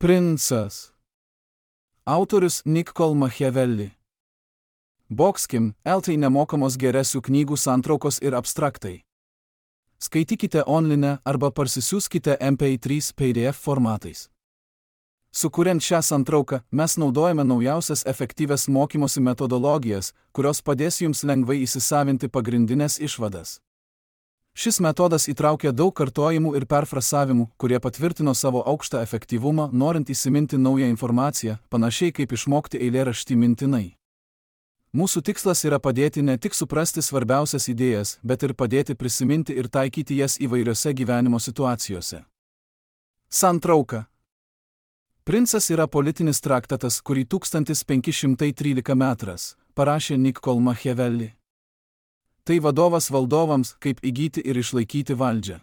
Princas. Autorius Niccolo Machiavelli. Boxkim, LT nemokamos geresių knygų santraukos ir abstraktai. Skaitykite online arba parsisiųskite MP3 PDF formatais. Sukuriant šią santrauką, mes naudojame naujausias efektyvias mokymosi metodologijas, kurios padės jums lengvai įsisavinti pagrindinės išvadas. Šis metodas įtraukia daug kartojimų ir perfrasavimų, kurie patvirtino savo aukštą efektyvumą, norint įsiminti naują informaciją, panašiai kaip išmokti eilėraštį mintinai. Mūsų tikslas yra padėti ne tik suprasti svarbiausias idėjas, bet ir padėti prisiminti ir taikyti jas įvairiose gyvenimo situacijose. Santrauka. Princas yra politinis traktatas, kurį 1513 metras parašė Niccolo Machiavelli. Tai vadovas valdovams, kaip įgyti ir išlaikyti valdžią.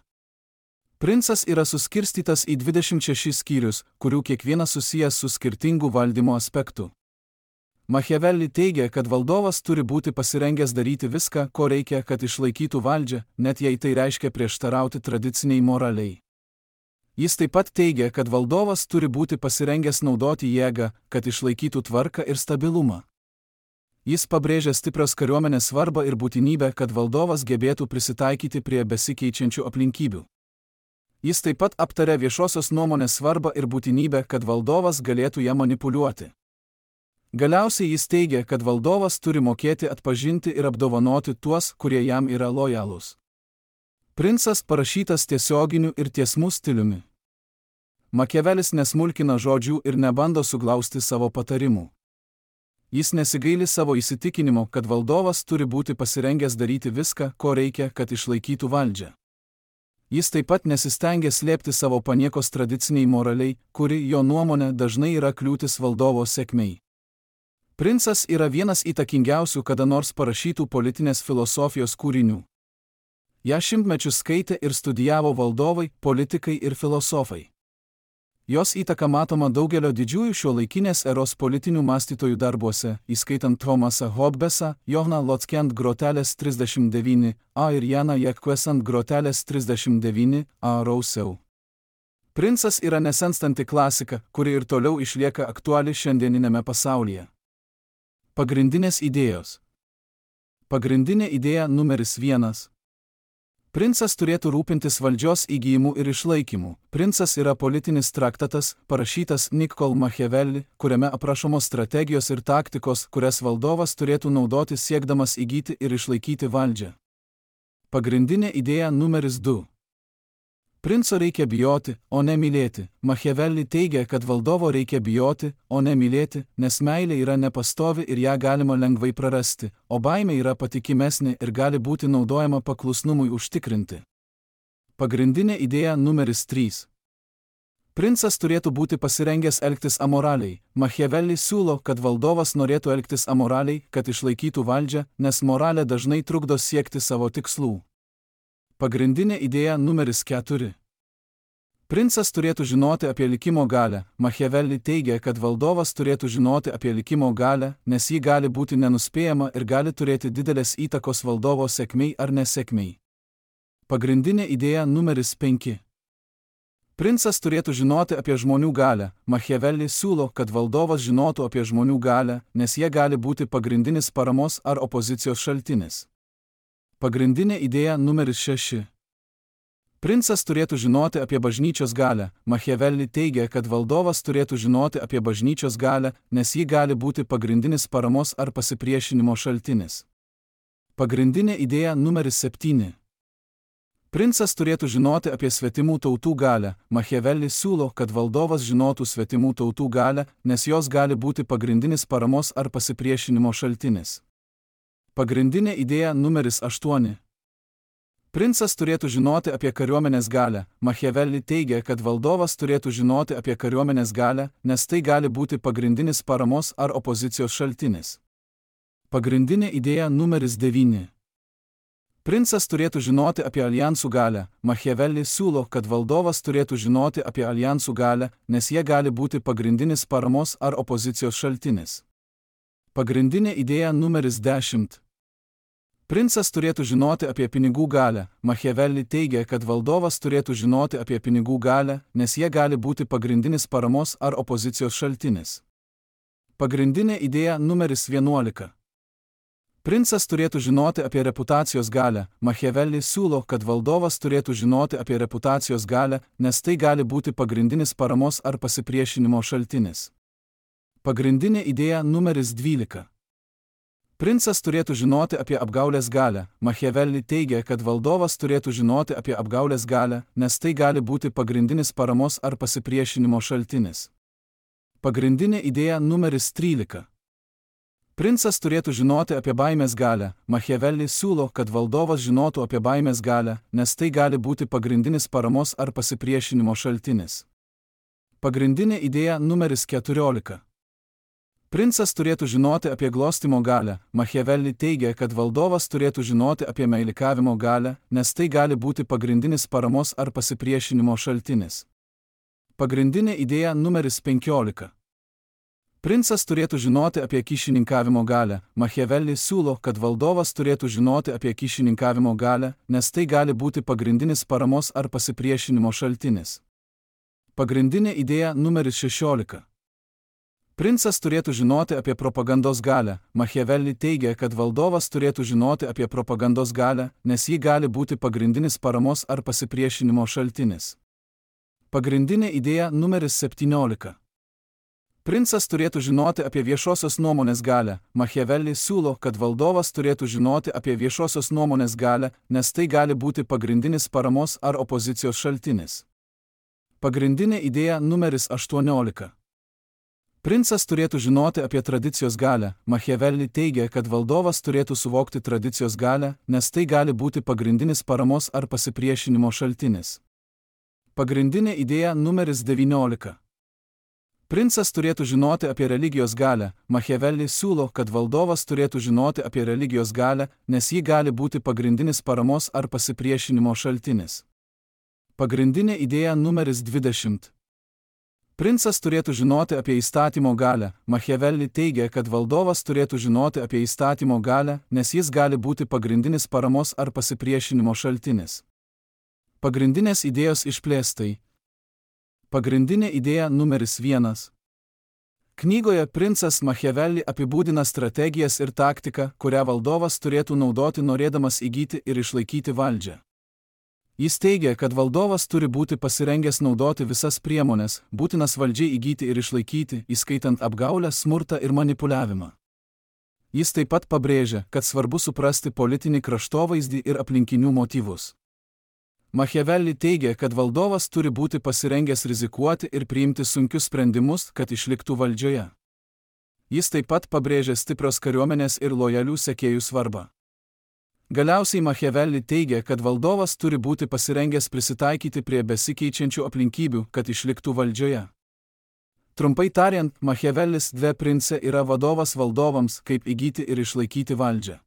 Princas yra suskirstytas į 26 skyrius, kurių kiekvienas susijęs su skirtingu valdymo aspektu. Machiavelli teigia, kad valdovas turi būti pasirengęs daryti viską, ko reikia, kad išlaikytų valdžią, net jei tai reiškia prieštarauti tradiciniai moraliai. Jis taip pat teigia, kad valdovas turi būti pasirengęs naudoti jėgą, kad išlaikytų tvarką ir stabilumą. Jis pabrėžia stiprios kariuomenės svarbą ir būtinybę, kad valdovas gebėtų prisitaikyti prie besikeičiančių aplinkybių. Jis taip pat aptarė viešosios nuomonės svarbą ir būtinybę, kad valdovas galėtų ją manipuliuoti. Galiausiai jis teigia, kad valdovas turi mokėti atpažinti ir apdovanoti tuos, kurie jam yra lojalūs. Princas parašytas tiesioginiu ir tiesmu stiliumi. Machiavelis nesmulkina žodžių ir nebando suglausti savo patarimų. Jis nesigaili savo įsitikinimo, kad valdovas turi būti pasirengęs daryti viską, ko reikia, kad išlaikytų valdžią. Jis taip pat nesistengia slėpti savo paniekos tradiciniai moraliai, kuri jo nuomonė dažnai yra kliūtis valdovo sėkmei. Princas yra vienas įtakingiausių kada nors parašytų politinės filosofijos kūrinių. Ja šimtmečius skaitė ir studijavo valdovai, politikai ir filosofai. Jos įtaka matoma daugelio didžiųjų šiuolaikinės eros politinių mąstytojų darbuose, įskaitant Thomasą Hobbesą, Johanną Lotskiant grotelės 39a ir Janą Jacquesant grotelės 39a Rousseau. Princas yra nesenstanti klasika, kuri ir toliau išlieka aktuali šiandieninėme pasaulyje. Pagrindinės idėjos. Pagrindinė idėja numeris 1. Princas turėtų rūpintis valdžios įgyjimu ir išlaikymu. Princas yra politinis traktatas, parašytas Niccolo Machiavelli, kuriame aprašomos strategijos ir taktikos, kurias valdovas turėtų naudoti siekdamas įgyti ir išlaikyti valdžią. Pagrindinė idėja numeris 2. Princo reikia bijoti, o ne mylėti. Machiavelli teigia, kad valdovo reikia bijoti, o ne mylėti, nes meilė yra nepastovi ir ją galima lengvai prarasti, o baimė yra patikimesnė ir gali būti naudojama paklusnumui užtikrinti. Pagrindinė idėja numeris 3. Princas turėtų būti pasirengęs elgtis amoraliai. Machiavelli siūlo, kad valdovas norėtų elgtis amoraliai, kad išlaikytų valdžią, nes moralė dažnai trukdo siekti savo tikslų. Pagrindinė idėja numeris 4. Princas turėtų žinoti apie likimo galią. Machiavelli teigia, kad valdovas turėtų žinoti apie likimo galią, nes ji gali būti nenuspėjama ir gali turėti didelės įtakos valdovo sėkmei ar nesėkmei. Pagrindinė idėja numeris 5. Princas turėtų žinoti apie žmonių galią. Machiavelli siūlo, kad valdovas žinotų apie žmonių galią, nes jie gali būti pagrindinis paramos ar opozicijos šaltinis. Pagrindinė idėja numeris 6. Princas turėtų žinoti apie bažnyčios galią. Machiavelli teigia, kad valdovas turėtų žinoti apie bažnyčios galią, nes ji gali būti pagrindinis paramos ar pasipriešinimo šaltinis. Pagrindinė idėja numeris 7. Princas turėtų žinoti apie svetimų tautų galią. Machiavelli siūlo, kad valdovas žinotų svetimų tautų galią, nes jos gali būti pagrindinis paramos ar pasipriešinimo šaltinis. Pagrindinė idėja numeris 8. Princas turėtų žinoti apie kariuomenės galią. Machiavelli teigia, kad valdovas turėtų žinoti apie kariuomenės galią, nes tai gali būti pagrindinis paramos ar opozicijos šaltinis. Pagrindinė idėja numeris 9. Princas turėtų žinoti apie aljansų galią. Machiavelli siūlo, kad valdovas turėtų žinoti apie aljansų galią, nes jie gali būti pagrindinis paramos ar opozicijos šaltinis. Pagrindinė idėja numeris 10. Princas turėtų žinoti apie pinigų galią. Machiavelli teigia, kad valdovas turėtų žinoti apie pinigų galią, nes jie gali būti pagrindinis paramos ar opozicijos šaltinis. Pagrindinė idėja numeris 11. Princas turėtų žinoti apie reputacijos galią. Machiavelli siūlo, kad valdovas turėtų žinoti apie reputacijos galią, nes tai gali būti pagrindinis paramos ar pasipriešinimo šaltinis. Pagrindinė idėja numeris 12. Princas turėtų žinoti apie apgaulės galią. Machiavelli teigia, kad valdovas turėtų žinoti apie apgaulės galią, nes tai gali būti pagrindinis paramos ar pasipriešinimo šaltinis. Pagrindinė idėja numeris 13. Princas turėtų žinoti apie baimės galią. Machiavelli siūlo, kad valdovas žinotų apie baimės galią, nes tai gali būti pagrindinis paramos ar pasipriešinimo šaltinis. Pagrindinė idėja numeris 14. Princas turėtų žinoti apie glostymo galią. Machiavelli teigia, kad valdovas turėtų žinoti apie meilikavimo galią, nes tai gali būti pagrindinis paramos ar pasipriešinimo šaltinis. Pagrindinė idėja numeris 15. Princas turėtų žinoti apie kyšininkavimo galią. Machiavelli siūlo, kad valdovas turėtų žinoti apie kyšininkavimo galią, nes tai gali būti pagrindinis paramos ar pasipriešinimo šaltinis. Pagrindinė idėja numeris 16. Princas turėtų žinoti apie propagandos galią. Machiavelli teigia, kad valdovas turėtų žinoti apie propagandos galią, nes ji gali būti pagrindinis paramos ar pasipriešinimo šaltinis. Pagrindinė idėja numeris 17. Princas turėtų žinoti apie viešosios nuomonės galią. Machiavelli siūlo, kad valdovas turėtų žinoti apie viešosios nuomonės galią, nes tai gali būti pagrindinis paramos ar opozicijos šaltinis. Pagrindinė idėja numeris 18. Princas turėtų žinoti apie tradicijos galią. Machiavelli teigia, kad valdovas turėtų suvokti tradicijos galią, nes tai gali būti pagrindinis paramos ar pasipriešinimo šaltinis. Pagrindinė idėja numeris 19. Princas turėtų žinoti apie religijos galią. Machiavelli siūlo, kad valdovas turėtų žinoti apie religijos galią, nes ji gali būti pagrindinis paramos ar pasipriešinimo šaltinis. Pagrindinė idėja numeris 20. Princas turėtų žinoti apie įstatymo galią. Machiavelli teigia, kad valdovas turėtų žinoti apie įstatymo galią, nes jis gali būti pagrindinis paramos ar pasipriešinimo šaltinis. Pagrindinės idėjos išplėstai. Pagrindinė idėja numeris 1. Knygoje princas Machiavelli apibūdina strategijas ir taktiką, kurią valdovas turėtų naudoti norėdamas įgyti ir išlaikyti valdžią. Jis teigia, kad valdovas turi būti pasirengęs naudoti visas priemonės, būtinas valdžiai įgyti ir išlaikyti, įskaitant apgaulę, smurtą ir manipuliavimą. Jis taip pat pabrėžia, kad svarbu suprasti politinį kraštovaizdį ir aplinkinių motyvus. Machiavelli teigia, kad valdovas turi būti pasirengęs rizikuoti ir priimti sunkius sprendimus, kad išliktų valdžioje. Jis taip pat pabrėžia stiprios kariuomenės ir lojalių sekėjų svarbą. Galiausiai Machiavelli teigia, kad valdovas turi būti pasirengęs prisitaikyti prie besikeičiančių aplinkybių, kad išliktų valdžioje. Trumpai tariant, Machiavellis De Prince yra vadovas valdovams, kaip įgyti ir išlaikyti valdžią.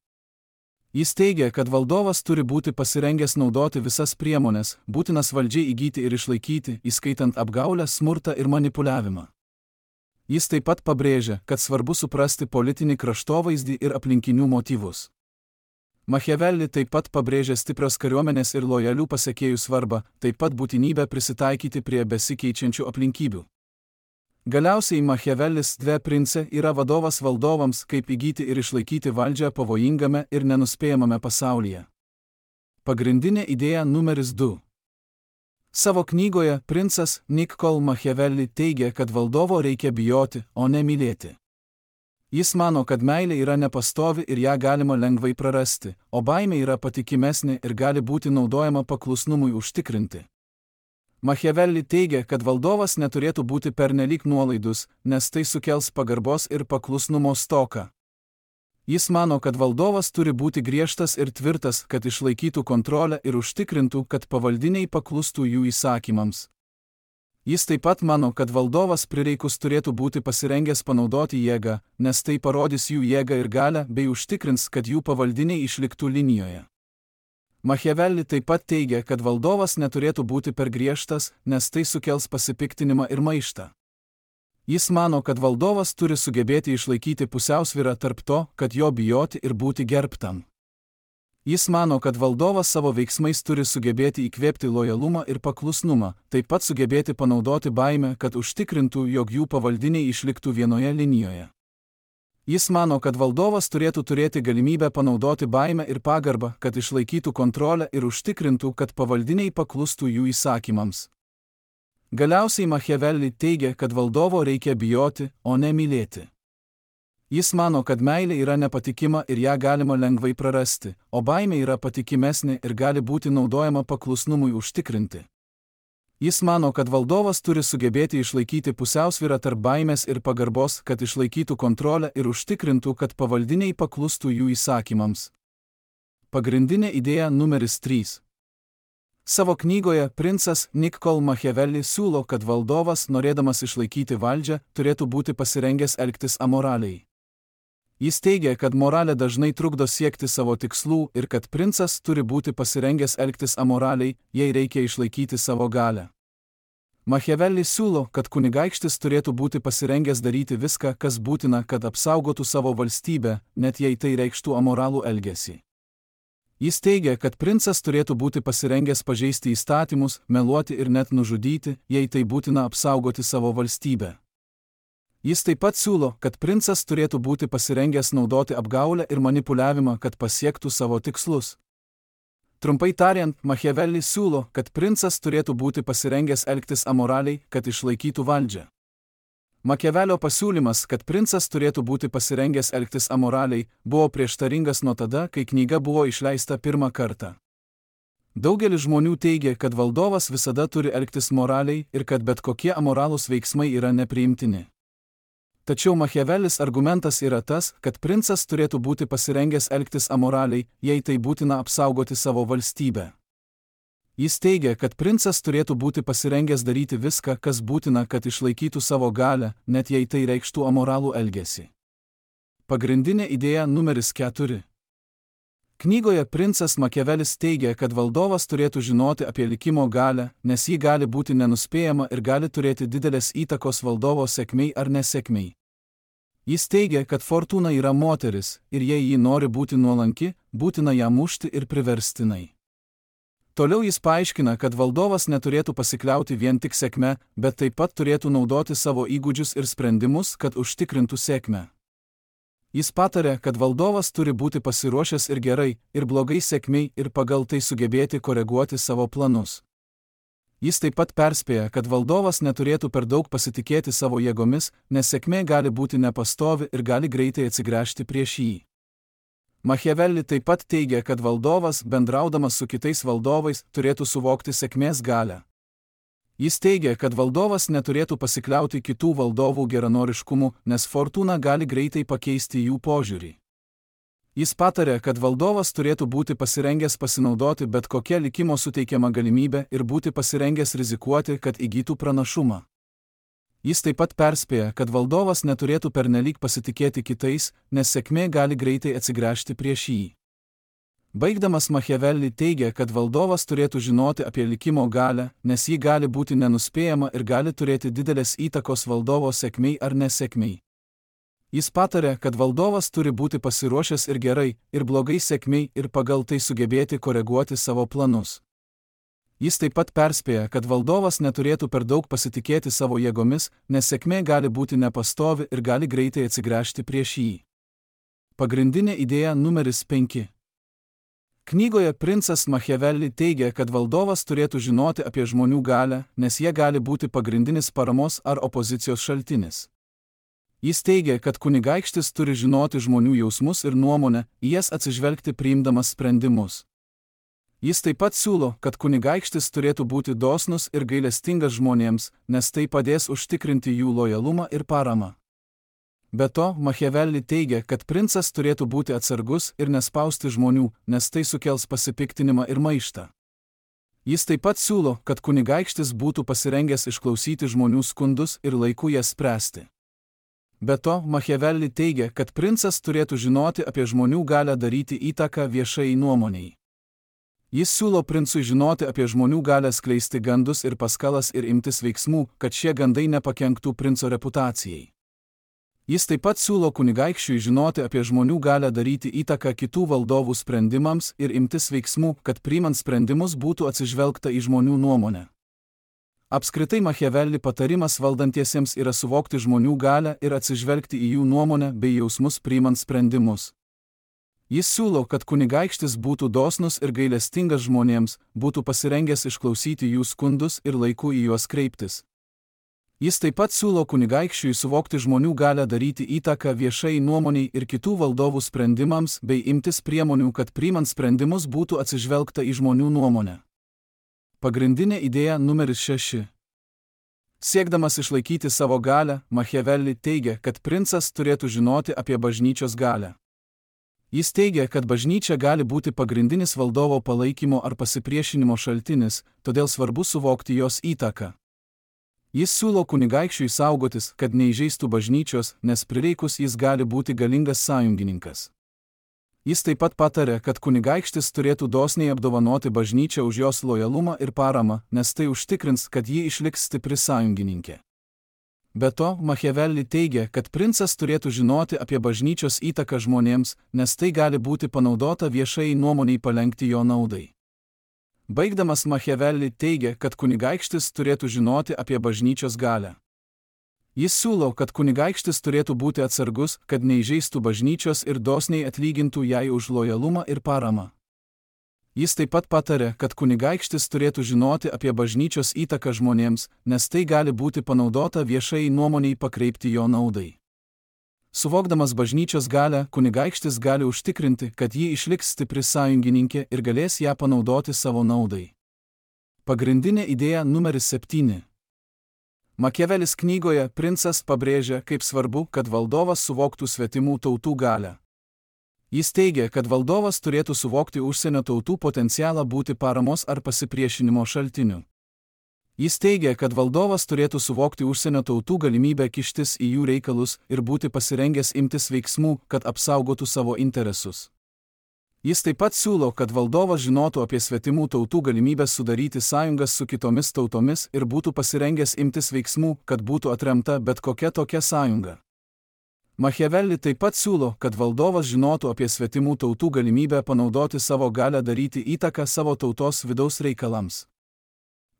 Jis teigia, kad valdovas turi būti pasirengęs naudoti visas priemonės, būtinas valdžiai įgyti ir išlaikyti, įskaitant apgaulę, smurtą ir manipuliavimą. Jis taip pat pabrėžia, kad svarbu suprasti politinį kraštovaizdį ir aplinkinių motyvus. Machiavelli taip pat pabrėžia stiprios kariuomenės ir lojalių pasekėjų svarbą, taip pat būtinybę prisitaikyti prie besikeičiančių aplinkybių. Galiausiai Machiavellis De Prince yra vadovas valdovams, kaip įgyti ir išlaikyti valdžią pavojingame ir nenuspėjamame pasaulyje. Pagrindinė idėja numeris 2. Savo knygoje princas Niccolò Machiavelli teigia, kad valdovo reikia bijoti, o ne mylėti. Jis mano, kad meilė yra nepastovi ir ją galima lengvai prarasti, o baimė yra patikimesnė ir gali būti naudojama paklusnumui užtikrinti. Machiavelli teigia, kad valdovas neturėtų būti pernelyg nuolaidus, nes tai sukels pagarbos ir paklusnumo stoką. Jis mano, kad valdovas turi būti griežtas ir tvirtas, kad išlaikytų kontrolę ir užtikrintų, kad pavaldiniai paklustų jų įsakymams. Jis taip pat mano, kad valdovas prireikus turėtų būti pasirengęs panaudoti jėgą, nes tai parodys jų jėgą ir galią bei užtikrins, kad jų pavaldiniai išliktų linijoje. Machiavelli taip pat teigia, kad valdovas neturėtų būti per griežtas, nes tai sukels pasipiktinimą ir maištą. Jis mano, kad valdovas turi sugebėti išlaikyti pusiausvyrą tarp to, kad jo bijoti ir būti gerbtam. Jis mano, kad valdovas savo veiksmais turi sugebėti įkvėpti lojalumą ir paklusnumą, taip pat sugebėti panaudoti baimę, kad užtikrintų, jog jų pavaldiniai išliktų vienoje linijoje. Jis mano, kad valdovas turėtų turėti galimybę panaudoti baimę ir pagarbą, kad išlaikytų kontrolę ir užtikrintų, kad pavaldiniai paklustų jų įsakymams. Galiausiai Machiavelli teigia, kad valdovo reikia bijoti, o ne mylėti. Jis mano, kad meilė yra nepatikima ir ją galima lengvai prarasti, o baimė yra patikimesnė ir gali būti naudojama paklusnumui užtikrinti. Jis mano, kad valdovas turi sugebėti išlaikyti pusiausvyrą tarp baimės ir pagarbos, kad išlaikytų kontrolę ir užtikrintų, kad pavaldiniai paklustų jų įsakymams. Pagrindinė idėja numeris 3. Savo knygoje princas Niccolò Machiavelli siūlo, kad valdovas, norėdamas išlaikyti valdžią, turėtų būti pasirengęs elgtis amoraliai. Jis teigia, kad moralė dažnai trukdo siekti savo tikslų ir kad princas turi būti pasirengęs elgtis amoraliai, jei reikia išlaikyti savo galią. Machiavelli siūlo, kad kunigaikštis turėtų būti pasirengęs daryti viską, kas būtina, kad apsaugotų savo valstybę, net jei tai reikštų amoralų elgesį. Jis teigia, kad princas turėtų būti pasirengęs pažeisti įstatymus, meluoti ir net nužudyti, jei tai būtina apsaugoti savo valstybę. Jis taip pat siūlo, kad princas turėtų būti pasirengęs naudoti apgaulę ir manipuliavimą, kad pasiektų savo tikslus. Trumpai tariant, Machiavelli siūlo, kad princas turėtų būti pasirengęs elgtis amoraliai, kad išlaikytų valdžią. Machiavellio pasiūlymas, kad princas turėtų būti pasirengęs elgtis amoraliai, buvo prieštaringas nuo tada, kai knyga buvo išleista pirmą kartą. Daugelis žmonių teigia, kad valdovas visada turi elgtis moraliai ir kad bet kokie amoralūs veiksmai yra nepriimtini. Tačiau Machiavellis argumentas yra tas, kad princas turėtų būti pasirengęs elgtis amoraliai, jei tai būtina apsaugoti savo valstybę. Jis teigia, kad princas turėtų būti pasirengęs daryti viską, kas būtina, kad išlaikytų savo galią, net jei tai reikštų amoralų elgesį. Pagrindinė idėja numeris 4. Knygoje princas Machiavellis teigia, kad valdovas turėtų žinoti apie likimo galią, nes ji gali būti nenuspėjama ir gali turėti didelės įtakos valdovo sėkmei ar nesėkmei. Jis teigia, kad fortūna yra moteris ir jei ji nori būti nuolanki, būtina ją mušti ir priverstinai. Toliau jis paaiškina, kad valdovas neturėtų pasikliauti vien tik sėkme, bet taip pat turėtų naudoti savo įgūdžius ir sprendimus, kad užtikrintų sėkmę. Jis patarė, kad valdovas turi būti pasiruošęs ir gerai, ir blogai sėkmei ir pagal tai sugebėti koreguoti savo planus. Jis taip pat perspėja, kad valdovas neturėtų per daug pasitikėti savo jėgomis, nes sėkmė gali būti nepastovi ir gali greitai atsigręžti prieš jį. Machiavelli taip pat teigia, kad valdovas, bendraudamas su kitais valdovais, turėtų suvokti sėkmės galią. Jis teigia, kad valdovas neturėtų pasikliauti kitų valdovų geranoriškumu, nes fortūna gali greitai pakeisti jų požiūrį. Jis patarė, kad valdovas turėtų būti pasirengęs pasinaudoti bet kokia likimo suteikiama galimybė ir būti pasirengęs rizikuoti, kad įgytų pranašumą. Jis taip pat perspėja, kad valdovas neturėtų pernelyg pasitikėti kitais, nes sėkmė gali greitai atsigręžti prieš jį. Baigdamas Machiavelli teigia, kad valdovas turėtų žinoti apie likimo galią, nes ji gali būti nenuspėjama ir gali turėti didelės įtakos valdovo sėkmei ar nesėkmei. Jis patarė, kad valdovas turi būti pasiruošęs ir gerai, ir blogai sėkmei ir pagal tai sugebėti koreguoti savo planus. Jis taip pat perspėja, kad valdovas neturėtų per daug pasitikėti savo jėgomis, nes sėkmė gali būti nepastovi ir gali greitai atsigręžti prieš jį. Pagrindinė idėja numeris 5. Knygoje princas Machiavelli teigia, kad valdovas turėtų žinoti apie žmonių galią, nes jie gali būti pagrindinis paramos ar opozicijos šaltinis. Jis teigia, kad kunigaikštis turi žinoti žmonių jausmus ir nuomonę, į jas atsižvelgti priimdamas sprendimus. Jis taip pat siūlo, kad kunigaikštis turėtų būti dosnus ir gailestingas žmonėms, nes tai padės užtikrinti jų lojalumą ir paramą. Be to, Machiavelli teigia, kad princas turėtų būti atsargus ir nespausti žmonių, nes tai sukels pasipiktinimą ir maištą. Jis taip pat siūlo, kad kunigaikštis būtų pasirengęs išklausyti žmonių skundus ir laiku jas spręsti. Be to, Machiavelli teigia, kad princas turėtų žinoti apie žmonių galią daryti įtaką viešai nuomoniai. Jis siūlo princui žinoti apie žmonių galią skleisti gandus ir paskalas ir imtis veiksmų, kad šie gandai nepakenktų princo reputacijai. Jis taip pat siūlo kunigaikščiui žinoti apie žmonių galią daryti įtaką kitų valdovų sprendimams ir imtis veiksmų, kad priimant sprendimus būtų atsižvelgta į žmonių nuomonę. Apskritai Machiavelli patarimas valdantiesiems yra suvokti žmonių galią ir atsižvelgti į jų nuomonę bei jausmus priimant sprendimus. Jis siūlo, kad kunigaikštis būtų dosnus ir gailestingas žmonėms, būtų pasirengęs išklausyti jų skundus ir laiku į juos kreiptis. Jis taip pat siūlo kunigaikščiui suvokti žmonių galią daryti įtaką viešai nuomoniai ir kitų valdovų sprendimams bei imtis priemonių, kad priimant sprendimus būtų atsižvelgta į žmonių nuomonę. Pagrindinė idėja numeris 6. Siekdamas išlaikyti savo galią, Machiavelli teigia, kad princas turėtų žinoti apie bažnyčios galią. Jis teigia, kad bažnyčia gali būti pagrindinis valdovo palaikymo ar pasipriešinimo šaltinis, todėl svarbu suvokti jos įtaką. Jis siūlo kunigaikščiui saugotis, kad neįžeistų bažnyčios, nes prireikus jis gali būti galingas sąjungininkas. Jis taip pat patarė, kad kunigaikštis turėtų dosniai apdovanoti bažnyčią už jos lojalumą ir paramą, nes tai užtikrins, kad ji išliks stipri sąjungininkė. Be to, Machiavelli teigia, kad princas turėtų žinoti apie bažnyčios įtaką žmonėms, nes tai gali būti panaudota viešai nuomoniai palenkti jo naudai. Baigdamas Machiavelli teigia, kad kunigaikštis turėtų žinoti apie bažnyčios galią. Jis siūlo, kad kunigaikštis turėtų būti atsargus, kad neįžeistų bažnyčios ir dosniai atlygintų jai už lojalumą ir paramą. Jis taip pat patarė, kad kunigaikštis turėtų žinoti apie bažnyčios įtaką žmonėms, nes tai gali būti panaudota viešai nuomoniai pakreipti jo naudai. Suvokdamas bažnyčios galią, kunigaikštis gali užtikrinti, kad ji išliks stipri sąjungininkė ir galės ją panaudoti savo naudai. Pagrindinė idėja numeris 7. Machiavelis knygoje Princas pabrėžia, kaip svarbu, kad valdovas suvoktų svetimų tautų galią. Jis teigia, kad valdovas turėtų suvokti užsienio tautų potencialą būti paramos ar pasipriešinimo šaltiniu. Jis teigia, kad valdovas turėtų suvokti užsienio tautų galimybę kištis į jų reikalus ir būti pasirengęs imtis veiksmų, kad apsaugotų savo interesus. Jis taip pat siūlo, kad valdovas žinotų apie svetimų tautų galimybės sudaryti sąjungas su kitomis tautomis ir būtų pasirengęs imtis veiksmų, kad būtų atremta bet kokia tokia sąjunga. Machiavelli taip pat siūlo, kad valdovas žinotų apie svetimų tautų galimybę panaudoti savo galią daryti įtaką savo tautos vidaus reikalams.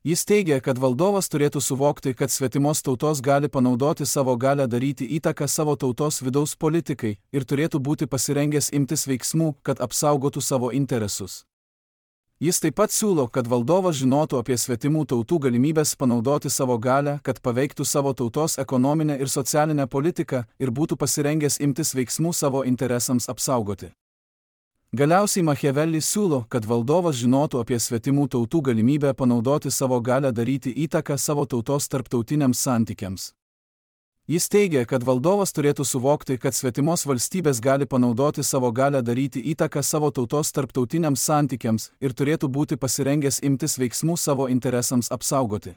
Jis teigia, kad valdovas turėtų suvokti, kad svetimos tautos gali panaudoti savo galią daryti įtaką savo tautos vidaus politikai ir turėtų būti pasirengęs imtis veiksmų, kad apsaugotų savo interesus. Jis taip pat siūlo, kad valdovas žinotų apie svetimų tautų galimybės panaudoti savo galią, kad paveiktų savo tautos ekonominę ir socialinę politiką ir būtų pasirengęs imtis veiksmų savo interesams apsaugoti. Galiausiai Machiavelli siūlo, kad valdovas žinotų apie svetimų tautų galimybę panaudoti savo galią daryti įtaką savo tautos tarptautiniams santykiams. Jis teigia, kad valdovas turėtų suvokti, kad svetimos valstybės gali panaudoti savo galią daryti įtaką savo tautos tarptautiniams santykiams ir turėtų būti pasirengęs imtis veiksmų savo interesams apsaugoti.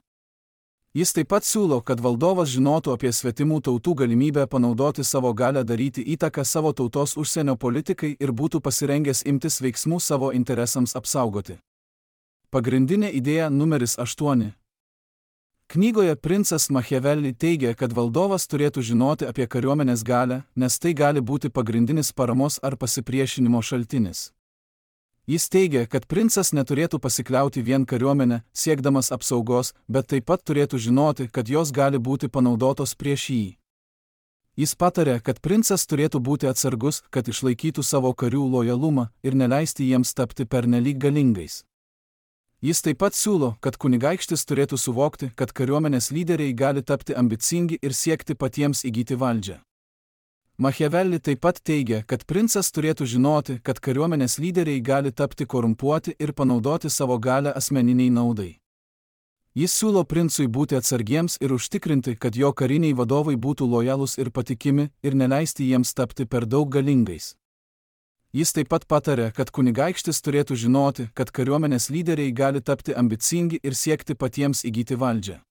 Jis taip pat siūlo, kad valdovas žinotų apie svetimų tautų galimybę panaudoti savo galią daryti įtaką savo tautos užsienio politikai ir būtų pasirengęs imtis veiksmų savo interesams apsaugoti. Pagrindinė idėja numeris 8. Knygoje Princas Machiavelli teigia, kad valdovas turėtų žinoti apie kariuomenės galią, nes tai gali būti pagrindinis paramos ar pasipriešinimo šaltinis. Jis teigia, kad princas neturėtų pasikliauti vien kariuomenę, siekdamas apsaugos, bet taip pat turėtų žinoti, kad jos gali būti panaudotos prieš jį. Jis patarė, kad princas turėtų būti atsargus, kad išlaikytų savo karių lojalumą ir neleisti jiems tapti pernelyg galingais. Jis taip pat siūlo, kad kunigaikštis turėtų suvokti, kad kariuomenės lyderiai gali tapti ambicingi ir siekti patiems įgyti valdžią. Machiavelli taip pat teigia, kad princas turėtų žinoti, kad kariuomenės lyderiai gali tapti korumpuoti ir panaudoti savo galią asmeniniai naudai. Jis siūlo princui būti atsargiems ir užtikrinti, kad jo kariniai vadovai būtų lojalūs ir patikimi ir neleisti jiems tapti per daug galingais. Jis taip pat patarė, kad kunigaikštis turėtų žinoti, kad kariuomenės lyderiai gali tapti ambicingi ir siekti patiems įgyti valdžią.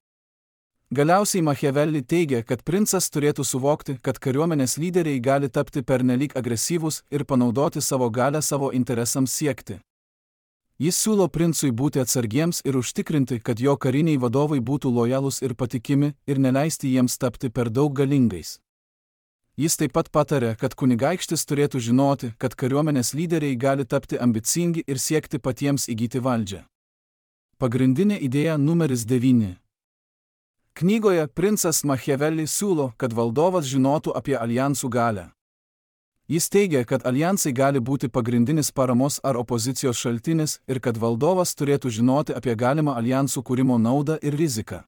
Galiausiai Machiavelli teigia, kad princas turėtų suvokti, kad kariuomenės lyderiai gali tapti pernelyg agresyvūs ir panaudoti savo galią savo interesams siekti. Jis siūlo princui būti atsargiems ir užtikrinti, kad jo kariniai vadovai būtų lojalūs ir patikimi ir neleisti jiems tapti per daug galingais. Jis taip pat patarė, kad kunigaikštis turėtų žinoti, kad kariuomenės lyderiai gali tapti ambicingi ir siekti patiems įgyti valdžią. Pagrindinė idėja numeris 9. Knygoje princas Machiavelli siūlo, kad valdovas žinotų apie aljansų galią. Jis teigia, kad aljansai gali būti pagrindinis paramos ar opozicijos šaltinis ir kad valdovas turėtų žinoti apie galimą aljansų kūrimo naudą ir riziką.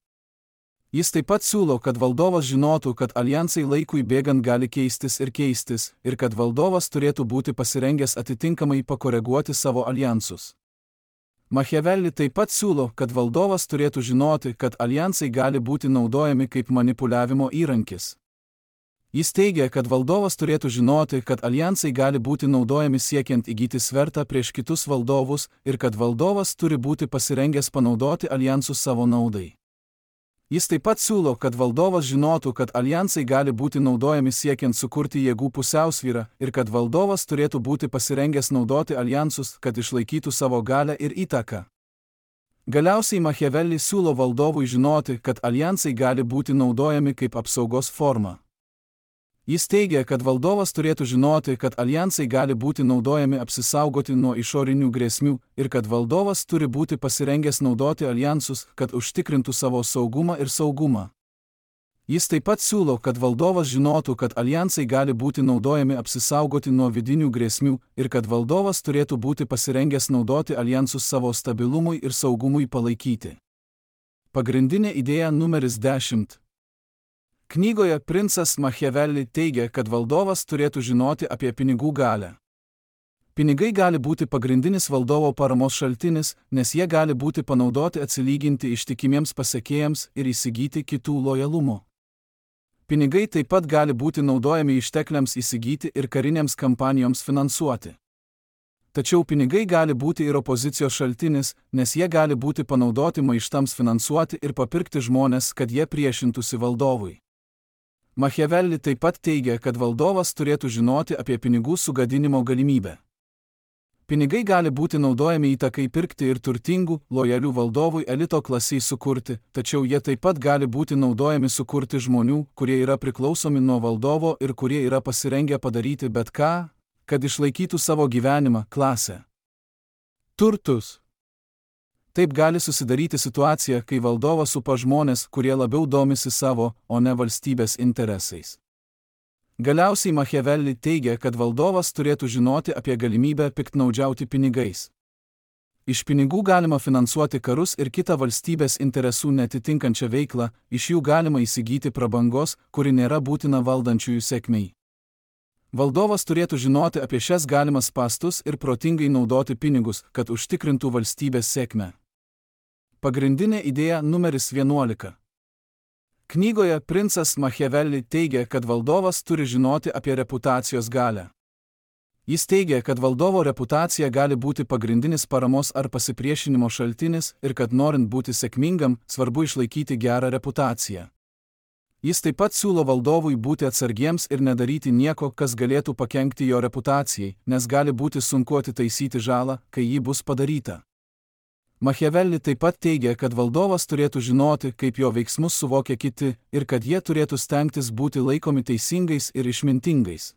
Jis taip pat siūlo, kad valdovas žinotų, kad aljansai laikui bėgant gali keistis ir kad valdovas turėtų būti pasirengęs atitinkamai pakoreguoti savo aljansus. Machiavelli taip pat siūlo, kad valdovas turėtų žinoti, kad aljansai gali būti naudojami kaip manipuliavimo įrankis. Jis teigia, kad valdovas turėtų žinoti, kad aljansai gali būti naudojami siekiant įgyti svertą prieš kitus valdovus ir kad valdovas turi būti pasirengęs panaudoti aljansus savo naudai. Jis taip pat siūlo, kad valdovas žinotų, kad aljansai gali būti naudojami siekiant sukurti jėgų pusiausvyrą ir kad valdovas turėtų būti pasirengęs naudoti aljansus, kad išlaikytų savo galią ir įtaką. Galiausiai Machiavelli siūlo valdovui žinoti, kad aljansai gali būti naudojami kaip apsaugos forma. Jis teigia, kad valdovas turėtų žinoti, kad aljansai gali būti naudojami apsisaugoti nuo išorinių grėsmių ir kad valdovas turi būti pasirengęs naudoti aljansus, kad užtikrintų savo saugumą ir saugumą. Jis taip pat siūlo, kad valdovas žinotų, kad aljansai gali būti naudojami apsisaugoti nuo vidinių grėsmių ir kad valdovas turėtų būti pasirengęs naudoti aljansus savo stabilumui ir saugumui palaikyti. Pagrindinė idėja numeris 10. Knygoje princas Machiavelli teigia, kad valdovas turėtų žinoti apie pinigų galią. Pinigai gali būti pagrindinis valdovo paramos šaltinis, nes jie gali būti panaudoti atsilyginti ištikimiems pasekėjams ir įsigyti kitų lojalumo. Pinigai taip pat gali būti naudojami ištekliams įsigyti ir karinėms kampanijoms finansuoti. Tačiau pinigai gali būti ir opozicijos šaltinis, nes jie gali būti panaudoti maištams finansuoti ir papirkti žmonės, kad jie priešintųsi valdovui. Machiavelli taip pat teigia, kad valdovas turėtų žinoti apie pinigų sugadinimo galimybę. Pinigai gali būti naudojami įtakai pirkti ir turtingų, lojalių valdovui elito klasiai sukurti, tačiau jie taip pat gali būti naudojami sukurti žmonių, kurie yra priklausomi nuo valdovo ir kurie yra pasirengę padaryti bet ką, kad išlaikytų savo gyvenimą, klasę. Turtus. Taip gali susidaryti situacija, kai valdovas supa žmonės, kurie labiau domisi savo, o ne valstybės interesais. Galiausiai Machiavelli teigia, kad valdovas turėtų žinoti apie galimybę piktnaudžiauti pinigais. Iš pinigų galima finansuoti karus ir kitą valstybės interesų netitinkančią veiklą, iš jų galima įsigyti prabangos, kuri nėra būtina valdančiųjų sėkmei. Valdovas turėtų žinoti apie šias galimas spąstus ir protingai naudoti pinigus, kad užtikrintų valstybės sėkmę. Pagrindinė idėja numeris 11. Knygoje princas Machiavelli teigia, kad valdovas turi žinoti apie reputacijos galią. Jis teigia, kad valdovo reputacija gali būti pagrindinis paramos ar pasipriešinimo šaltinis ir kad norint būti sėkmingam, svarbu išlaikyti gerą reputaciją. Jis taip pat siūlo valdovui būti atsargiems ir nedaryti nieko, kas galėtų pakenkti jo reputacijai, nes gali būti sunku atitaisyti žalą, kai ji bus padaryta. Machiavelli taip pat teigia, kad valdovas turėtų žinoti, kaip jo veiksmus suvokia kiti ir kad jie turėtų stengtis būti laikomi teisingais ir išmintingais.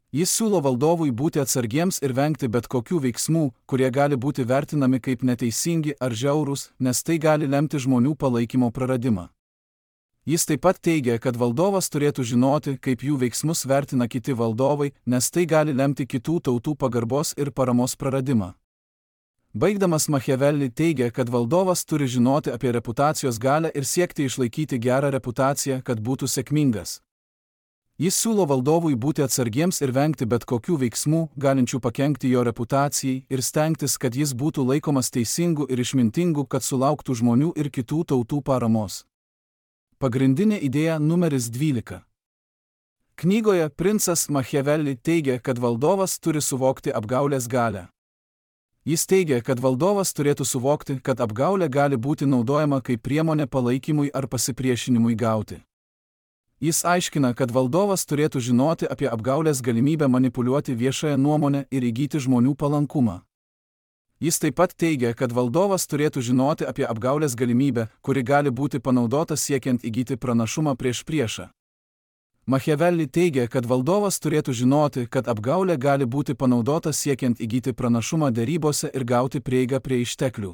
Jis siūlo valdovui būti atsargiems ir vengti bet kokių veiksmų, kurie gali būti vertinami kaip neteisingi ar žiaurūs, nes tai gali lemti žmonių palaikymo praradimą. Jis taip pat teigia, kad valdovas turėtų žinoti, kaip jų veiksmus vertina kiti valdovai, nes tai gali lemti kitų tautų pagarbos ir paramos praradimą. Baigdamas Machiavelli teigia, kad valdovas turi žinoti apie reputacijos galią ir siekti išlaikyti gerą reputaciją, kad būtų sėkmingas. Jis siūlo valdovui būti atsargiems ir vengti bet kokių veiksmų, galinčių pakenkti jo reputacijai, ir stengtis, kad jis būtų laikomas teisingu ir išmintingu, kad sulauktų žmonių ir kitų tautų paramos. Pagrindinė idėja numeris 12. Knygoje princas Machiavelli teigia, kad valdovas turi suvokti apgaulės galią. Jis teigia, kad valdovas turėtų suvokti, kad apgaulė gali būti naudojama kaip priemonė palaikymui ar pasipriešinimui gauti. Jis aiškina, kad valdovas turėtų žinoti apie apgaulės galimybę manipuliuoti viešąją nuomonę ir įgyti žmonių palankumą. Jis taip pat teigia, kad valdovas turėtų žinoti apie apgaulės galimybę, kuri gali būti panaudota siekiant įgyti pranašumą prieš priešą. Machiavelli teigia, kad valdovas turėtų žinoti, kad apgaulė gali būti panaudota siekiant įgyti pranašumą derybose ir gauti prieigą prie išteklių.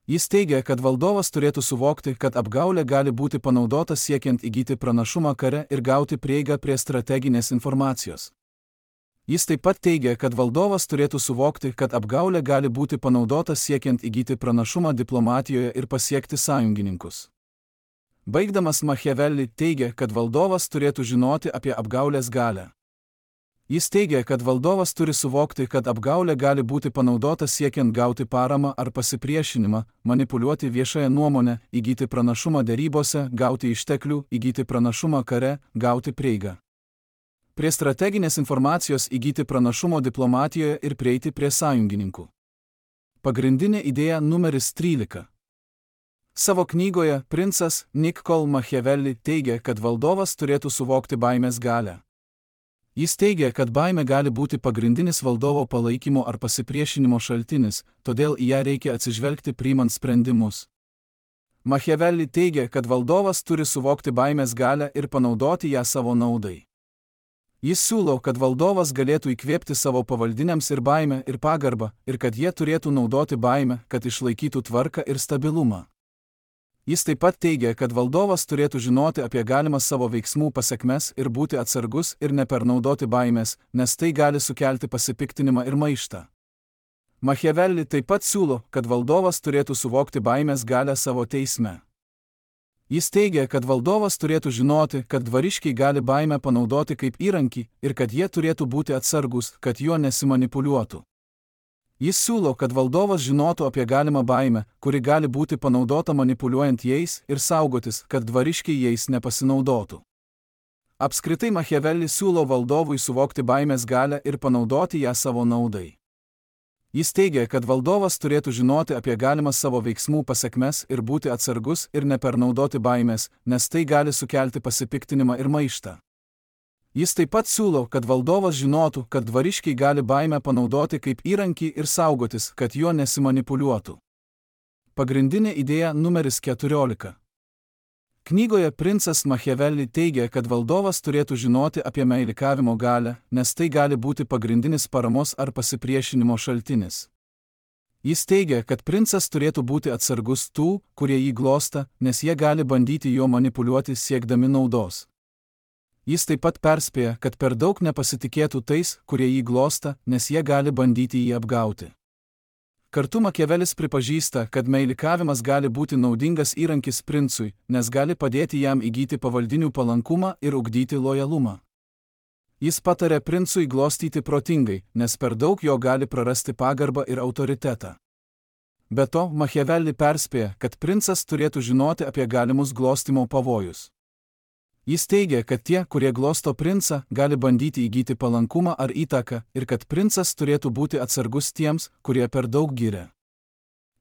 Jis teigia, kad valdovas turėtų suvokti, kad apgaulė gali būti panaudota siekiant įgyti pranašumą kare ir gauti prieigą prie strateginės informacijos. Jis taip pat teigia, kad valdovas turėtų suvokti, kad apgaulė gali būti panaudota siekiant įgyti pranašumą diplomatijoje ir pasiekti sąjungininkus. Baigdamas Machiavelli teigia, kad valdovas turėtų žinoti apie apgaulės galią. Jis teigia, kad valdovas turi suvokti, kad apgaulė gali būti panaudota siekiant gauti paramą ar pasipriešinimą, manipuliuoti viešąją nuomonę, įgyti pranašumą derybose, gauti išteklių, įgyti pranašumą kare, gauti prieigą prie strateginės informacijos, įgyti pranašumo diplomatijoje ir prieiti prie sąjungininkų. Pagrindinė idėja numeris 13. Savo knygoje princas Niccolo Machiavelli teigia, kad valdovas turėtų suvokti baimės galią. Jis teigia, kad baimė gali būti pagrindinis valdovo palaikymo ar pasipriešinimo šaltinis, todėl į ją reikia atsižvelgti priimant sprendimus. Machiavelli teigia, kad valdovas turi suvokti baimės galią ir panaudoti ją savo naudai. Jis siūlo, kad valdovas galėtų įkvėpti savo pavaldiniams ir baimę ir pagarbą, ir kad jie turėtų naudoti baimę, kad išlaikytų tvarką ir stabilumą. Jis taip pat teigia, kad valdovas turėtų žinoti apie galimas savo veiksmų pasekmes ir būti atsargus ir nepernaudoti baimės, nes tai gali sukelti pasipiktinimą ir maištą. Machiavelli taip pat siūlo, kad valdovas turėtų suvokti baimės galią savo teisme. Jis teigia, kad valdovas turėtų žinoti, kad dvariškiai gali baimę panaudoti kaip įrankį ir kad jie turėtų būti atsargus, kad juo nesimanipuliuotų. Jis siūlo, kad valdovas žinotų apie galimą baimę, kuri gali būti panaudota manipuliuojant jais ir saugotis, kad dvariškiai jais nepasinaudotų. Apskritai Machiavelli siūlo valdovui suvokti baimės galią ir panaudoti ją savo naudai. Jis teigia, kad valdovas turėtų žinoti apie galimas savo veiksmų pasekmes ir būti atsargus ir nepernaudoti baimės, nes tai gali sukelti pasipiktinimą ir maištą. Jis taip pat siūlo, kad valdovas žinotų, kad dvariškiai gali baimę panaudoti kaip įrankį ir saugotis, kad juo nesimanipuliuotų. Pagrindinė idėja numeris 14. Knygoje princas Machiavelli teigia, kad valdovas turėtų žinoti apie meilikavimo galią, nes tai gali būti pagrindinis paramos ar pasipriešinimo šaltinis. Jis teigia, kad princas turėtų būti atsargus tų, kurie jį glosta, nes jie gali bandyti juo manipuliuoti siekdami naudos. Jis taip pat perspėja, kad per daug nepasitikėtų tais, kurie jį glosta, nes jie gali bandyti jį apgauti. Kartu Machiavelis pripažįsta, kad meilikavimas gali būti naudingas įrankis princui, nes gali padėti jam įgyti pavaldinių palankumą ir ugdyti lojalumą. Jis patarė princui glostyti protingai, nes per daug jo gali prarasti pagarbą ir autoritetą. Be to, Machiavelli perspėja, kad princas turėtų žinoti apie galimus glostymo pavojus. Jis teigia, kad tie, kurie glosto princą, gali bandyti įgyti palankumą ar įtaką ir kad princas turėtų būti atsargus tiems, kurie per daug giria.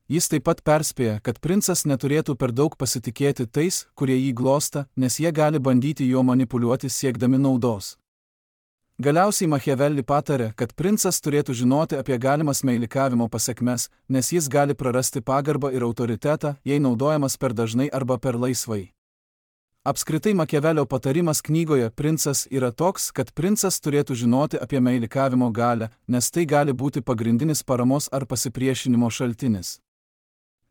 Jis taip pat perspėja, kad princas neturėtų per daug pasitikėti tais, kurie jį glosta, nes jie gali bandyti juo manipuliuoti siekdami naudos. Galiausiai Machiavelli patarė, kad princas turėtų žinoti apie galimas meilikavimo pasekmes, nes jis gali prarasti pagarbą ir autoritetą, jei naudojamas per dažnai arba per laisvai. Apskritai Machiavelio patarimas knygoje Princas yra toks, kad princas turėtų žinoti apie meilikavimo galią, nes tai gali būti pagrindinis paramos ar pasipriešinimo šaltinis.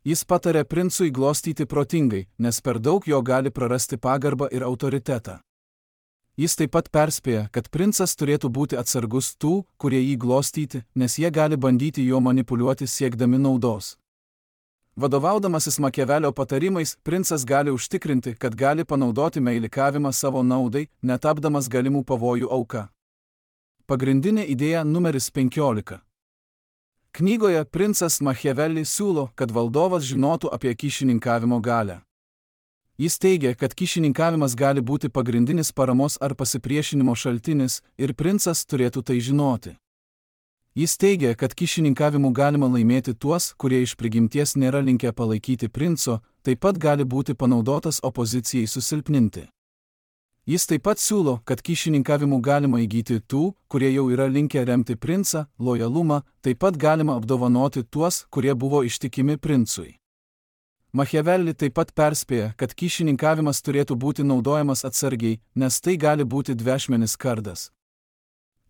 Jis patarė princui glostyti protingai, nes per daug jo gali prarasti pagarbą ir autoritetą. Jis taip pat perspėja, kad princas turėtų būti atsargus tų, kurie jį glostyti, nes jie gali bandyti juo manipuliuoti siekdami naudos. Vadovaudamasis Machiavelio patarimais, princas gali užtikrinti, kad gali panaudoti meilikavimą savo naudai, netapdamas galimų pavojų auka. Pagrindinė idėja numeris 15. Knygoje princas Machiavelli siūlo, kad valdovas žinotų apie kyšininkavimo galią. Jis teigia, kad kyšininkavimas gali būti pagrindinis paramos ar pasipriešinimo šaltinis ir princas turėtų tai žinoti. Jis teigia, kad kyšininkavimu galima laimėti tuos, kurie iš prigimties nėra linkę palaikyti princo, taip pat gali būti panaudotas opozicijai susilpninti. Jis taip pat siūlo, kad kyšininkavimu galima įgyti tų, kurie jau yra linkę remti princą, lojalumą, taip pat galima apdovanoti tuos, kurie buvo ištikimi princui. Machiavelli taip pat perspėja, kad kyšininkavimas turėtų būti naudojamas atsargiai, nes tai gali būti dvešmenis kardas.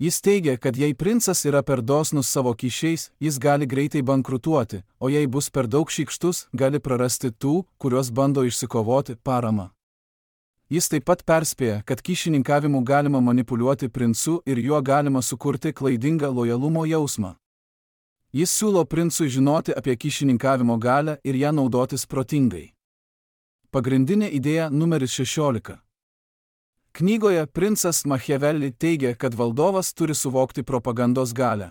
Jis teigia, kad jei princas yra per dosnus savo kyšiais, jis gali greitai bankrutuoti, o jei bus per daug šykštus, gali prarasti tų, kuriuos bando išsikovoti, paramą. Jis taip pat perspėja, kad kyšininkavimu galima manipuliuoti princu ir juo galima sukurti klaidingą lojalumo jausmą. Jis siūlo princui žinoti apie kyšininkavimo galią ir ją naudotis protingai. Pagrindinė idėja numeris 16. Knygoje princas Machiavelli teigia, kad valdovas turi suvokti propagandos galią.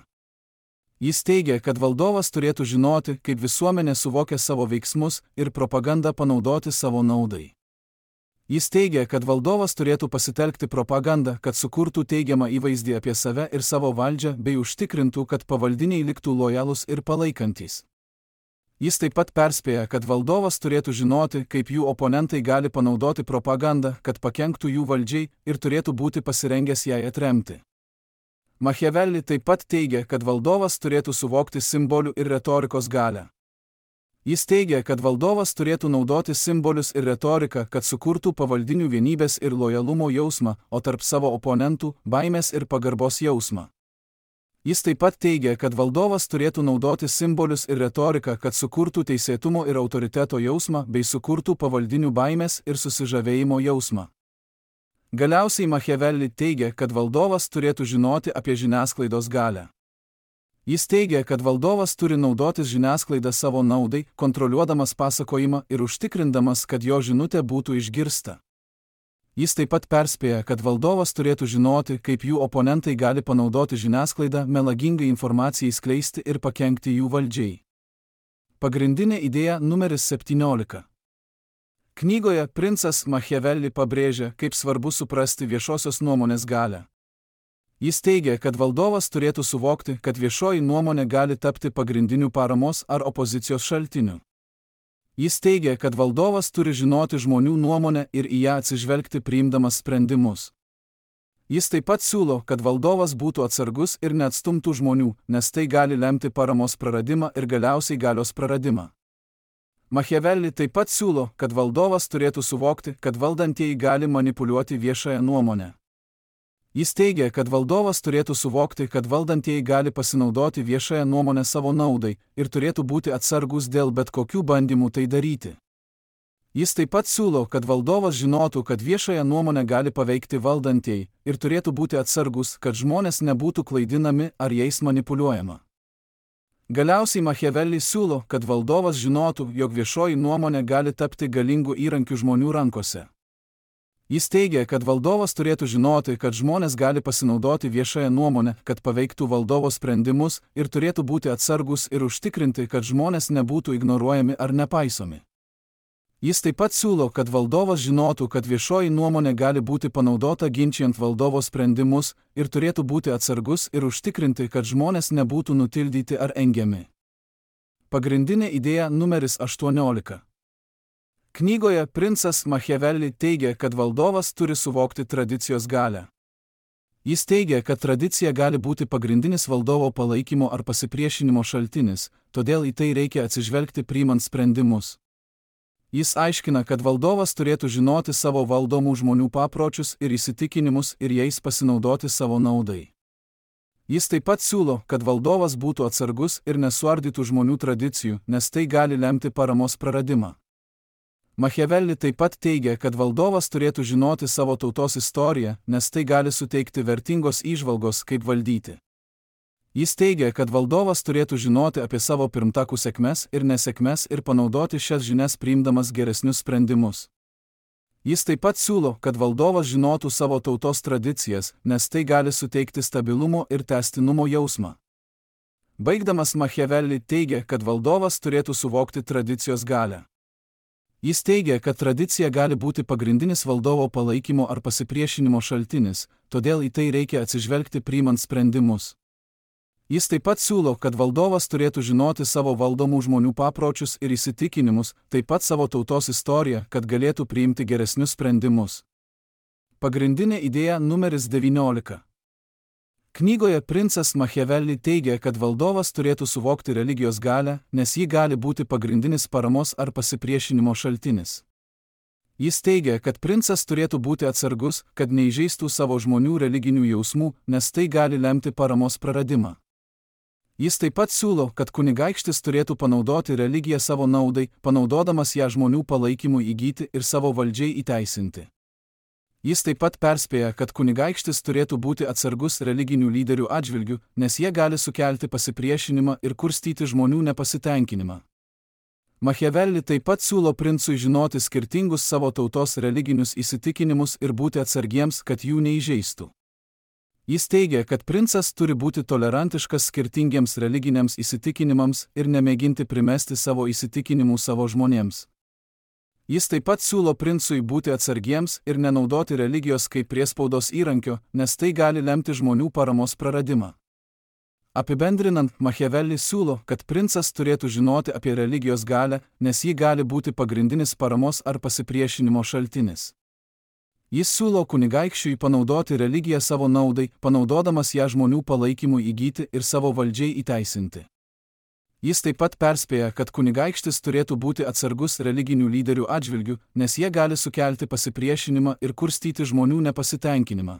Jis teigia, kad valdovas turėtų žinoti, kaip visuomenė suvokia savo veiksmus ir propagandą panaudoti savo naudai. Jis teigia, kad valdovas turėtų pasitelkti propagandą, kad sukurtų teigiamą įvaizdį apie save ir savo valdžią bei užtikrintų, kad pavaldiniai liktų lojalūs ir palaikantys. Jis taip pat perspėja, kad valdovas turėtų žinoti, kaip jų oponentai gali panaudoti propagandą, kad pakenktų jų valdžiai ir turėtų būti pasirengęs jai atremti. Machiavelli taip pat teigia, kad valdovas turėtų suvokti simbolių ir retorikos galią. Jis teigia, kad valdovas turėtų naudoti simbolius ir retoriką, kad sukurtų pavaldinių vienybės ir lojalumo jausmą, o tarp savo oponentų – baimės ir pagarbos jausmą. Jis taip pat teigia, kad valdovas turėtų naudoti simbolius ir retoriką, kad sukurtų teisėtumo ir autoriteto jausmą bei sukurtų pavaldinių baimės ir susižavėjimo jausmą. Galiausiai Machiavelli teigia, kad valdovas turėtų žinoti apie žiniasklaidos galią. Jis teigia, kad valdovas turi naudotis žiniasklaidą savo naudai, kontroliuodamas pasakojimą ir užtikrindamas, kad jo žinutė būtų išgirsta. Jis taip pat perspėja, kad valdovas turėtų žinoti, kaip jų oponentai gali panaudoti žiniasklaidą melagingai informacijai skleisti ir pakenkti jų valdžiai. Pagrindinė idėja numeris 17. Knygoje princas Machiavelli pabrėžia, kaip svarbu suprasti viešosios nuomonės galią. Jis teigia, kad valdovas turėtų suvokti, kad viešoji nuomonė gali tapti pagrindiniu paramos ar opozicijos šaltiniu. Jis teigia, kad valdovas turi žinoti žmonių nuomonę ir į ją atsižvelgti priimdamas sprendimus. Jis taip pat siūlo, kad valdovas būtų atsargus ir neatstumtų žmonių, nes tai gali lemti paramos praradimą ir galiausiai galios praradimą. Machiavelli taip pat siūlo, kad valdovas turėtų suvokti, kad valdantieji gali manipuliuoti viešąją nuomonę. Jis teigia, kad valdovas turėtų suvokti, kad valdantieji gali pasinaudoti viešąją nuomonę savo naudai ir turėtų būti atsargus dėl bet kokių bandymų tai daryti. Jis taip pat siūlo, kad valdovas žinotų, kad viešąją nuomonę gali paveikti valdantieji ir turėtų būti atsargus, kad žmonės nebūtų klaidinami ar jais manipuliuojama. Galiausiai Machiavelli siūlo, kad valdovas žinotų, jog viešoji nuomonė gali tapti galingų įrankių žmonių rankose. Jis teigia, kad valdovas turėtų žinoti, kad žmonės gali pasinaudoti viešąją nuomonę, kad paveiktų valdovo sprendimus ir turėtų būti atsargus ir užtikrinti, kad žmonės nebūtų ignoruojami ar nepaisomi. Jis taip pat siūlo, kad valdovas žinotų, kad viešoji nuomonė gali būti panaudota ginčijant valdovo sprendimus ir turėtų būti atsargus ir užtikrinti, kad žmonės nebūtų nutildyti ar engiami. Pagrindinė idėja numeris 18. Knygoje princas Machiavelli teigia, kad valdovas turi suvokti tradicijos galią. Jis teigia, kad tradicija gali būti pagrindinis valdovo palaikymo ar pasipriešinimo šaltinis, todėl į tai reikia atsižvelgti priimant sprendimus. Jis aiškina, kad valdovas turėtų žinoti savo valdomų žmonių papročius ir įsitikinimus ir jais pasinaudoti savo naudai. Jis taip pat siūlo, kad valdovas būtų atsargus ir nesuardytų žmonių tradicijų, nes tai gali lemti paramos praradimą. Machiavelli taip pat teigia, kad valdovas turėtų žinoti savo tautos istoriją, nes tai gali suteikti vertingos įžvalgos, kaip valdyti. Jis teigia, kad valdovas turėtų žinoti apie savo pirmtakų sėkmes ir nesėkmes ir panaudoti šias žinias priimdamas geresnius sprendimus. Jis taip pat siūlo, kad valdovas žinotų savo tautos tradicijas, nes tai gali suteikti stabilumo ir tęstinumo jausmą. Baigdamas Machiavelli teigia, kad valdovas turėtų suvokti tradicijos galią. Jis teigia, kad tradicija gali būti pagrindinis valdovo palaikymo ar pasipriešinimo šaltinis, todėl į tai reikia atsižvelgti priimant sprendimus. Jis taip pat siūlo, kad valdovas turėtų žinoti savo valdomų žmonių papročius ir įsitikinimus, taip pat savo tautos istoriją, kad galėtų priimti geresnius sprendimus. Pagrindinė idėja numeris 19. Knygoje princas Machiavelli teigia, kad valdovas turėtų suvokti religijos galią, nes ji gali būti pagrindinis paramos ar pasipriešinimo šaltinis. Jis teigia, kad princas turėtų būti atsargus, kad neįžeistų savo žmonių religinių jausmų, nes tai gali lemti paramos praradimą. Jis taip pat siūlo, kad kunigaikštis turėtų panaudoti religiją savo naudai, panaudodamas ją žmonių palaikymui įgyti ir savo valdžiai įteisinti. Jis taip pat perspėja, kad kunigaikštis turėtų būti atsargus religinių lyderių atžvilgių, nes jie gali sukelti pasipriešinimą ir kurstyti žmonių nepasitenkinimą. Machiavelli taip pat siūlo princui žinoti skirtingus savo tautos religinius įsitikinimus ir būti atsargiems, kad jų neįžeistų. Jis teigia, kad princas turi būti tolerantiškas skirtingiems religiniams įsitikinimams ir nemėginti primesti savo įsitikinimų savo žmonėms. Jis taip pat siūlo princui būti atsargiems ir nenaudoti religijos kaip priespaudos įrankio, nes tai gali lemti žmonių paramos praradimą. Apibendrinant, Machiavelli siūlo, kad princas turėtų žinoti apie religijos galią, nes ji gali būti pagrindinis paramos ar pasipriešinimo šaltinis. Jis siūlo kunigaikščiui panaudoti religiją savo naudai, panaudodamas ją žmonių palaikymui įgyti ir savo valdžiai įteisinti. Jis taip pat perspėja, kad kunigaikštis turėtų būti atsargus religinių lyderių atžvilgių, nes jie gali sukelti pasipriešinimą ir kurstyti žmonių nepasitenkinimą.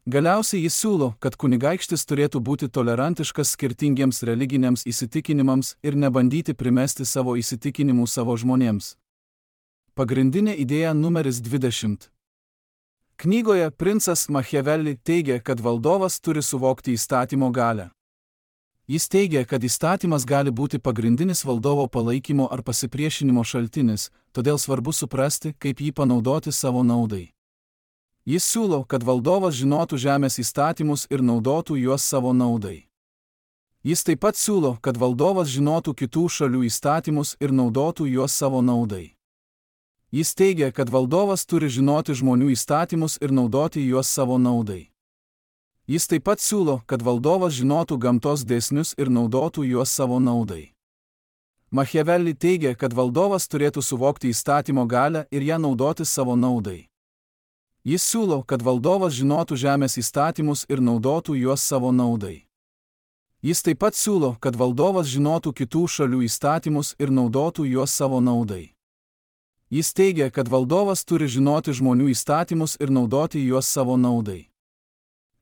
Galiausiai jis siūlo, kad kunigaikštis turėtų būti tolerantiškas skirtingiems religiniams įsitikinimams ir nebandyti primesti savo įsitikinimų savo žmonėms. Pagrindinė idėja numeris 20. Knygoje princas Machiavelli teigia, kad valdovas turi suvokti įstatymo galią. Jis teigia, kad įstatymas gali būti pagrindinis valdovo palaikymo ar pasipriešinimo šaltinis, todėl svarbu suprasti, kaip jį panaudoti savo naudai. Jis siūlo, kad valdovas žinotų žemės įstatymus ir naudotų juos savo naudai. Jis taip pat siūlo, kad valdovas žinotų kitų šalių įstatymus ir naudotų juos savo naudai. Jis teigia, kad valdovas turi žinoti žmonių įstatymus ir naudoti juos savo naudai. Jis taip pat siūlo, kad valdovas žinotų gamtos dėsnius ir naudotų juos savo naudai. Machiavelli teigia, kad valdovas turėtų suvokti įstatymo galią ir ją naudoti savo naudai. Jis siūlo, kad valdovas žinotų žemės įstatymus ir naudotų juos savo naudai. Jis taip pat siūlo, kad valdovas žinotų kitų šalių įstatymus ir naudotų juos savo naudai. Jis teigia, kad valdovas turi žinoti žmonių įstatymus ir naudoti juos savo naudai.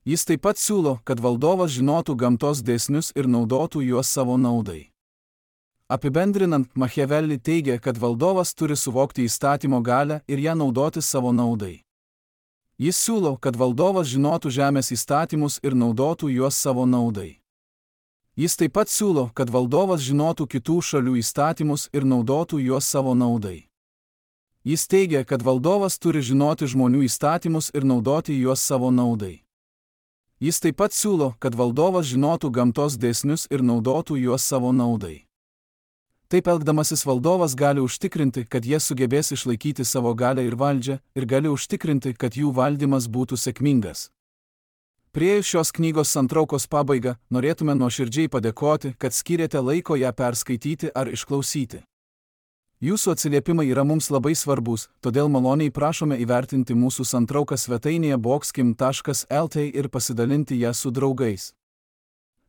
Jis taip pat siūlo, kad valdovas žinotų gamtos dėsnius ir naudotų juos savo naudai. Apibendrinant, Machiavelli teigia, kad valdovas turi suvokti įstatymo galią ir ją naudoti savo naudai. Jis siūlo, kad valdovas žinotų žemės įstatymus ir naudotų juos savo naudai. Jis taip pat siūlo, kad valdovas žinotų kitų šalių įstatymus ir naudotų juos savo naudai. Jis teigia, kad valdovas turi žinoti žmonių įstatymus ir naudoti juos savo naudai. Jis taip pat siūlo, kad valdovas žinotų gamtos dėsnius ir naudotų juos savo naudai. Taip elgdamasis valdovas gali užtikrinti, kad jie sugebės išlaikyti savo galią ir valdžią, ir gali užtikrinti, kad jų valdymas būtų sėkmingas. Priėjus šios knygos santraukos pabaigą, norėtume nuoširdžiai padėkoti, kad skyrėte laiko ją perskaityti ar išklausyti. Jūsų atsiliepimai yra mums labai svarbus, todėl maloniai prašome įvertinti mūsų santrauką svetainėje boxkim.lt ir pasidalinti ją su draugais.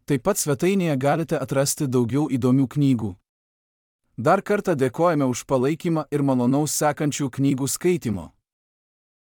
Taip pat svetainėje galite atrasti daugiau įdomių knygų. Dar kartą dėkojame už palaikymą ir malonaus sekančių knygų skaitimo.